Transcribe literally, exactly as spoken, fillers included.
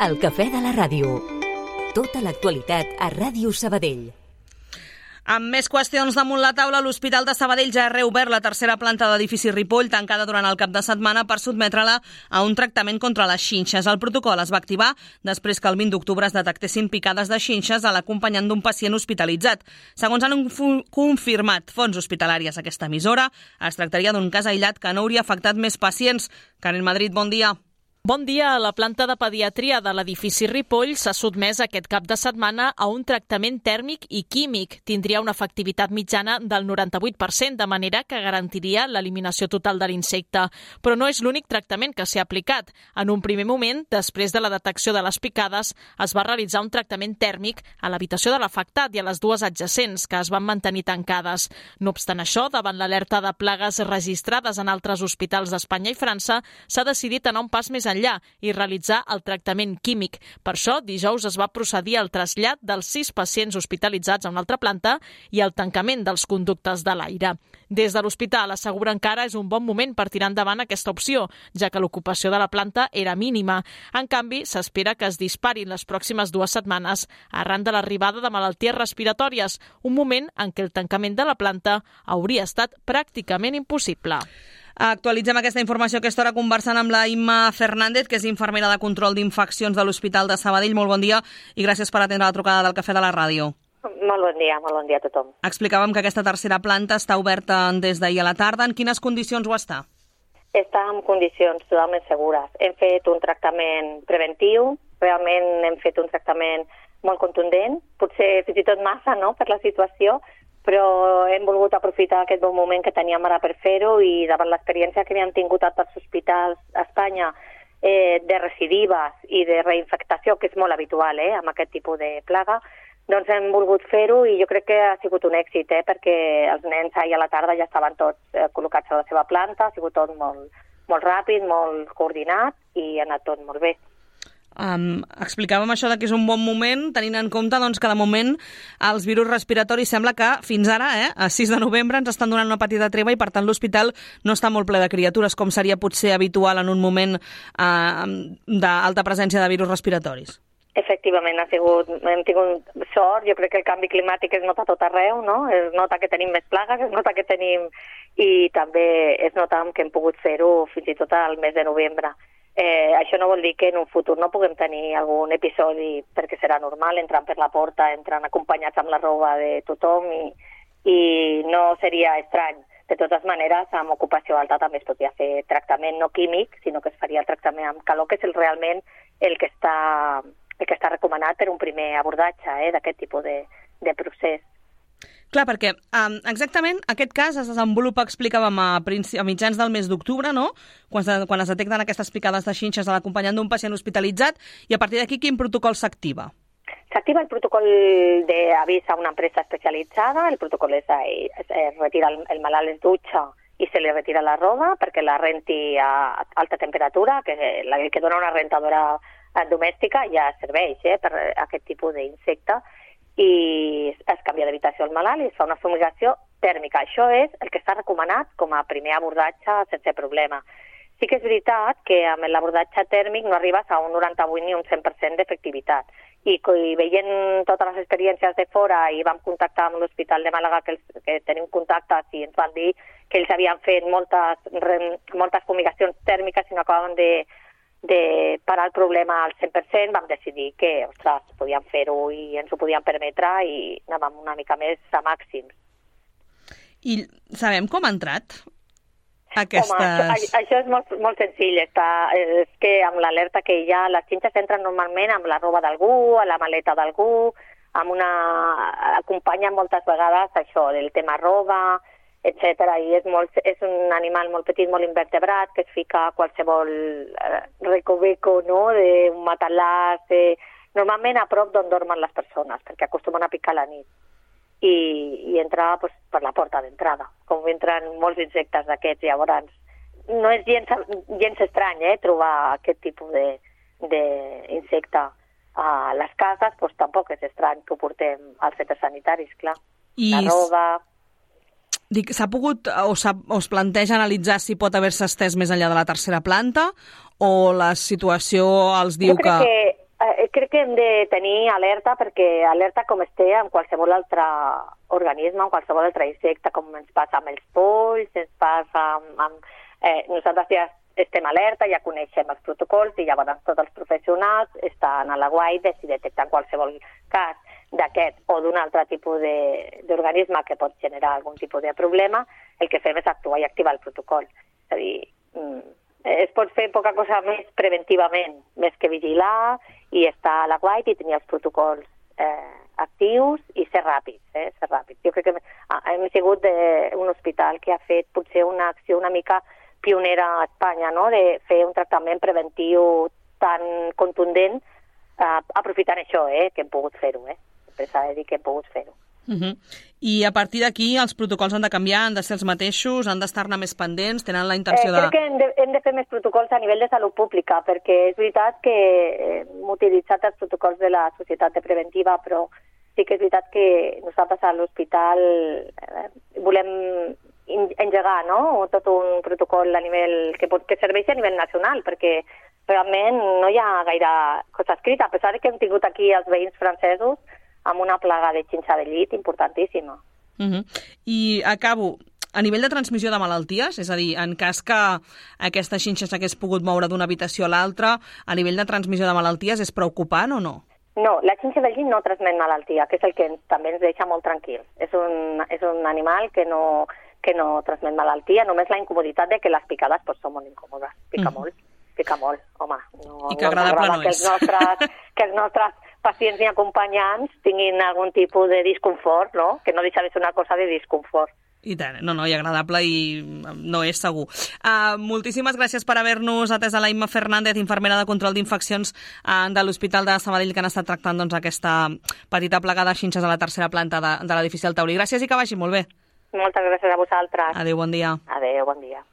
El cafè de la ràdio. Tota l'actualitat a Ràdio Sabadell. Amb més qüestions damunt la taula, l'Hospital de Sabadell ja ha reobert la tercera planta de l'edifici Ripoll, tancada durant el cap de setmana per sotmetre-la a un tractament contra les xinxes. El protocol es va activar després que el vint d'octubre es detectessin picades de xinxes a l'acompanyant d'un pacient hospitalitzat. Segons han confirmat fonts hospitalàries a aquesta emissora, es tractaria d'un cas aïllat que no hauria afectat més pacients. Karen Madrid, bon dia. Bon dia. La planta de pediatria de l'edifici Ripoll s'ha sotmès aquest cap de setmana a un tractament tèrmic i químic. Tindria una efectivitat mitjana del noranta-vuit per cent, de manera que garantiria l'eliminació total de l'insecte. Però no és l'únic tractament que s'ha aplicat. En un primer moment, després de la detecció de les picades, es va realitzar un tractament tèrmic a l'habitació de l'afectat i a les dues adjacents, que es van mantenir tancades. No obstant això, davant l'alerta de plagues registrades en altres hospitals d'Espanya i França, s'ha decidit anar un pas més enllà i realitzar el tractament químic. Per això, dijous es va procedir al trasllat dels sis pacients hospitalitzats a una altra planta i al tancament dels conductes de l'aire. Des de l'hospital asseguren que ara és un bon moment per tirar endavant aquesta opció, ja que l'ocupació de la planta era mínima. En canvi, s'espera que es disparin les pròximes dues setmanes arran de l'arribada de malalties respiratòries, un moment en què el tancament de la planta hauria estat pràcticament impossible. Actualitzem aquesta informació a aquesta hora conversant amb la Imma Fernández, que és infermera de control d'infeccions de l'Hospital de Sabadell. Molt bon dia i gràcies per atendre la trucada del Cafè de la Ràdio. Molt bon dia, molt bon dia a tothom. Explicàvem que aquesta tercera planta està oberta des d'ahir a la tarda. En quines condicions ho està? Està en condicions totalment segures. Hem fet un tractament preventiu, realment hem fet un tractament molt contundent, potser fins i tot massa, no?, per la situació, però hem volgut aprofitar aquest bon moment que teníem ara per fer-ho i davant l'experiència que havíem tingut a tots els hospitals a Espanya eh, de recidives i de reinfectació, que és molt habitual eh, amb aquest tipus de plaga, doncs hem volgut fer-ho i jo crec que ha sigut un èxit, eh, perquè els nens ahir a la tarda ja estaven tots eh, col·locats a la seva planta, ha sigut tot molt, molt ràpid, molt coordinat i ha anat tot molt bé. Um, explicàvem això de que és un bon moment, tenint en compte doncs, que de moment els virus respiratoris sembla que fins ara, eh, a sis de novembre, ens estan donant una petita treva i per tant l'hospital no està molt ple de criatures, com seria potser habitual en un moment uh, d'alta presència de virus respiratoris. Efectivament, ha sigut, hem tingut sort, jo crec que el canvi climàtic es nota a tot arreu, no? Es nota que tenim més plagues, es nota que tenim i també es nota que hem pogut fer-ho fins i tot al mes de novembre. Eh, això no vol dir que en un futur no puguem tenir algun episodi, perquè serà normal, entrant per la porta, entrant acompanyats amb la roba de tothom i, i no seria estrany. De totes maneres, amb ocupació alta també es podria fer tractament no químic, sinó que es faria el tractament amb calor, que és el, realment el que està, el que està recomanat per un primer abordatge eh, d'aquest tipus de, de procés. Clar, perquè um, exactament aquest cas es desenvolupa, explicàvem, a, a mitjans del mes d'octubre, no? Quan, quan es detecten aquestes picades de xinxes a l'acompanyant d'un pacient hospitalitzat, i a partir d'aquí quin protocol s'activa? S'activa el protocol d'avís a una empresa especialitzada, el protocol és, és, és retirar el, el malalt es dutxa i se li retira la roba perquè la renti a alta temperatura, que la que dona una rentadora domèstica ja serveix eh, per aquest tipus d'insecte, i es canvia d'habitació al malalt i es fa una fumigació tèrmica. Això és el que està recomanat com a primer abordatge sense problema. Sí que és veritat que amb l'abordatge tèrmic no arribes a un noranta-vuit ni un cent per cent d'efectivitat. I, i veient totes les experiències de fora i vam contactar amb l'Hospital de Màlaga, que, els, que tenim contactes i ens van dir que ells havien fet moltes, moltes fumigacions tèrmiques i no acabaven de de parar el problema al cent per cent, vam decidir que, ostres, podíem fer-ho i ens ho podíem permetre i anàvem una mica més a màxims. I sabem com ha entrat aquestes... Home, això, això és molt, molt senzill. Està, és que amb l'alerta que hi ha, les xinxes entren normalment amb la roba d'algú, a la maleta d'algú, amb una... acompanyen moltes vegades això del tema roba, etcètera. I és, molt, és un animal molt petit, molt invertebrat, que es fica a qualsevol eh, recoveco, no?, d'un matalàs, eh, normalment a prop d'on dormen les persones, perquè acostumen a picar a la nit. I, i entra pues, per la porta d'entrada, com entren molts insectes d'aquests. Llavors, no és gens, gens estrany eh, trobar aquest tipus d'insecte a les cases, pues, tampoc és estrany que ho portem als centres sanitaris, clar. I... La roba... Dic, s'ha pogut o, o es planteja analitzar si pot haver-se estès més enllà de la tercera planta o la situació els diu jo crec que... que crec que hem de tenir alerta, perquè alerta com es té amb qualsevol altre organisme, amb qualsevol altre insecte, com ens passa amb els polls, ens passa amb... amb eh, nosaltres ja estem alerta, ja coneixem els protocols i llavors tots els professionals estan a la guaita si detecten qualsevol cas d'aquest o d'un altre tipus d'organisme que pot generar algun tipus de problema, el que fem és actuar i activar el protocol. És a dir, es pot fer poca cosa més preventivament, més que vigilar i estar a la guaita i tenir els protocols eh, actius i ser ràpids, eh, ser ràpids. Jo crec que hem sigut un hospital que ha fet potser una acció una mica pionera a Espanya, no?, de fer un tractament preventiu tan contundent, eh, aprofitant això, eh, que hem pogut fer-ho, eh. Sempre s'ha de dir que hem pogut fer-ho. Uh-huh. I a partir d'aquí els protocols han de canviar, han de ser els mateixos, han d'estar-ne més pendents, tenen la intenció eh, de... Crec que hem de, hem de fer més protocols a nivell de salut pública, perquè és veritat que hem utilitzat els protocols de la Societat de Preventiva, però sí que és veritat que nosaltres a l'hospital eh, volem engegar, no?, tot un protocol a nivell que, pot, que serveixi a nivell nacional, perquè realment no hi ha gaire cosa escrita, a pesar que hem tingut aquí els veïns francesos amb una plaga de xinxa de llit importantíssima. Uh-huh. I acabo, a nivell de transmissió de malalties, és a dir, en cas que aquesta xinxa s'hagués pogut moure d'una habitació a l'altra, a nivell de transmissió de malalties és preocupant o no? No, la xinxa del llit no transmet malaltia, que és el que ens, també ens deixa molt tranquils. És un, és un animal que no, que no transmet malaltia, només la incomoditat de que les picades pues, són molt incòmodes. Pica mm. molt, pica molt, home. No, I que agradable no, no que és. Els nostres, que els nostres pacients i acompanyants tinguin algun tipus de disconfort, no? Que no deixa de ser una cosa de disconfort. I tant, no, no, i agradable i no és segur. Uh, moltíssimes gràcies per haver-nos atès a la Imma Fernández, infermera de control d'infeccions uh, de l'Hospital de Sabadell, que han estat tractant doncs, aquesta petita plaga de xinxes a la tercera planta de, de l'edifici del Taulí. Gràcies i que vagi molt bé. Moltes gràcies a vosaltres. Adéu, bon dia. Adéu, bon dia.